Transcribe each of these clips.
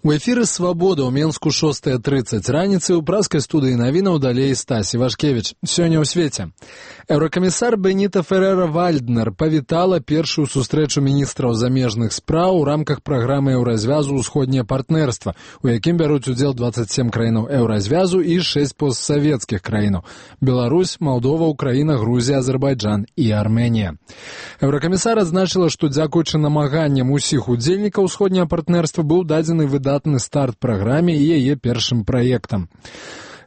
У эфіры «Свабода» ў Менску 6:30 раніцы ў праскай студыі навінаў далей Стась Івашкевіч. Сёння ў свеце. Еўракамісар Беніта Ферера-Вальднер павітала першую сустрэчу міністраў замежных спраў у рамках праграмы еўразвязу «Усходняе партнерства», у якім бяруць удзел 27 краінаў еўразвязу і 6 постсавецкіх краінаў – Беларусь, Малдова, Украіна, Грузія, Азербайджан і Арменія. Еўракамісар адзначыла, што дзякуючы намаганням усіх удзельнікаў «Усходняе партнерства» быў дадзены выдатны старт праграме і яе першым праектам.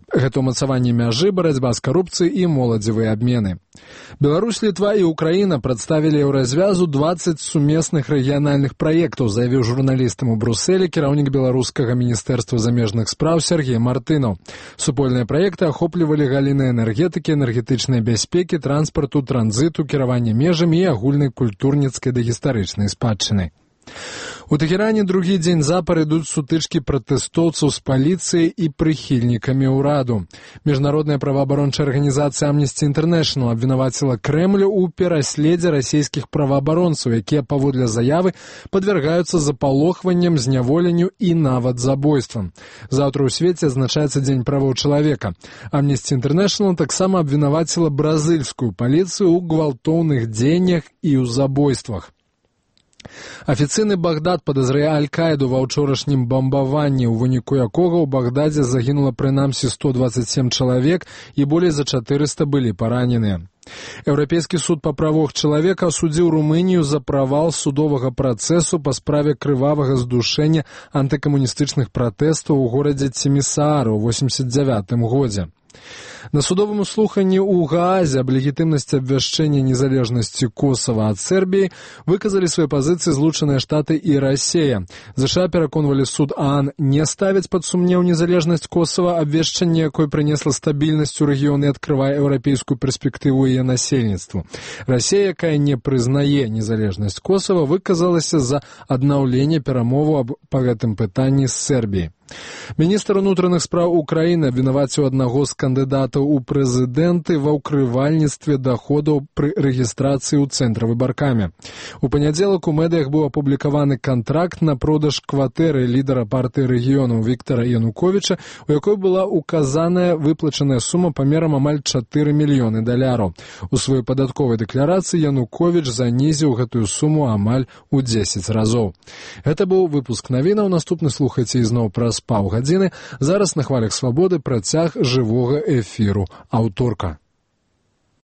Гэта ўмацаванне мяжы, барацьба з карупцыяй і моладзевыя абмены. Беларусь, Літва і Украіна прадставілі еўразвязу 20 сумесных рэгіянальных праектаў, заявіў журналістам у Брусэлі кіраўнік беларускага міністэрства замежных спраў Сергей Мартынаў. Супольныя праекты ахоплівалі галіны энергетыкі, энергетычнай бяспекі, транспарту, транзіту, кіравання межамі і агульнай культурніцкай да гістарычнай спадчыны. У Тэхеране другі дзень запар ідуць сутычкі пратэстоўцаў з паліцыяй і прыхільнікамі ўраду. Міжнародная праваабарончая арганізацыя Amnesty International абвінаваціла Крэмлю ў пераследзе расійскіх праваабаронцаў, якія, паводле заявы, падвяргаюцца запалохванням, зняволенню і нават забойствам. Заўтра ў свеце адзначаецца Дзень правоў чалавека. Amnesty International таксама абвінаваціла бразыльскую паліцыю ў гвалтоўных дзеяннях і ў забойствах. Афіцыйны Багдад падазрае Аль-Каіду ва ўчорашнім бамбаванні, у выніку якога ў Багдадзе загінула прынамсі 127 чалавек і болей за 400 былі параненыя. Еўрапейскі суд па правах чалавека асудзіў Румынію за правал судовага працэсу па справе крывавага здушэння антыкамуністычных пратэстаў у горадзе Цімісаара ў 1989 годзе. На судовым слуханні ў Гаазе аб легітымнасці абвяшчэння незалежнасці Косава ад Сербіі выказалі свае пазіцыі Злучаныя Штаты і Расія. ЗША пераконвалі суд ААН не ставіць пад сумнеў незалежнасць Косава, абвяшчэнне якой прынесла стабільнасць у рэгіёне і адкрывае еўрапейскую перспектыву яе насельніцтву. Расія, якая не прызнае незалежнасць Косава, выказалася за аднаўленне перамоваў па гэтым пытанні з Сербіяй. Міністр унутраных спраў Украіны абвінаваціў аднаго з кандыдатаў у прэзідэнты ва ўкрывальніцтве даходаў пры рэгістрацыі ў цэнтравай баркаме. У панядзелак у медыях быў апублікаваны кантракт на продаж кватэры лідара партыі рэгіёнаў Віктара Януковіча, у якой была указаная выплачаная сума памерам амаль 4 мільёны даляраў. У сваёй падатковай дэкларацыі Януковіч занізіў гэтую суму амаль у 10 разоў. Гэта быў выпуск навінаў. Наступны слухайце ізноў праз паўгадзіны. Зараз на хвалях свабоды працяг жывога эфіру аўторка.